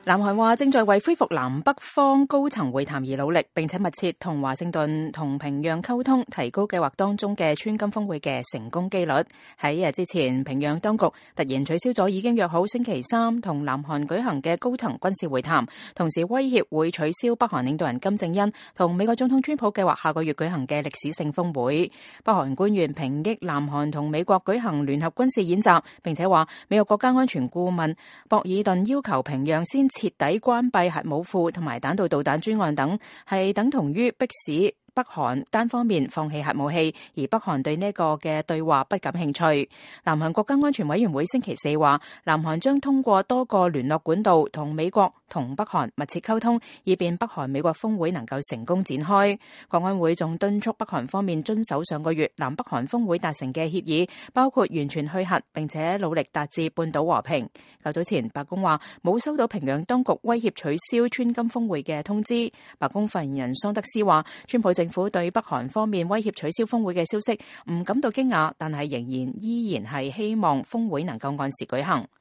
南韓話正在為恢復南北方高層會談而努力，並且密切同華盛頓同平壤溝通，提高計劃當中嘅川金峰會嘅成功機率。喺一日之前，平壤當局突然取消咗已經約好星期三同南韓舉行嘅高層軍事會談，同時威脅會取消北韓領導人金正恩同美國總統川普計劃下個月舉行嘅歷史性峰會。北韓官員抨擊南韓同美國舉行聯合軍事演習，並且話美國國家安全顧問博爾頓要求平壤先徹底關閉核武庫同埋彈道導彈專案等，係等同於迫使北韓單方面放棄核武器，而北韓對呢個嘅對話不感興趣。南韓國家安全委員會星期四話，南韓將通過多個聯絡管道同美國同北韓密切溝通，以便北韓美國峰會能夠成功展開。國安會仲敦促北韓方面遵守上個月南北韓峰會達成嘅協議，包括完全去核，並且努力達至半島和平。較早前白宮話冇收到平壤當局威脅取消川金峰會嘅通知。白宮發言人桑德斯話，川普政府對北韓方面威脅取消峰會嘅消息唔感到驚訝，但係依然係希望峰會能夠按時舉行。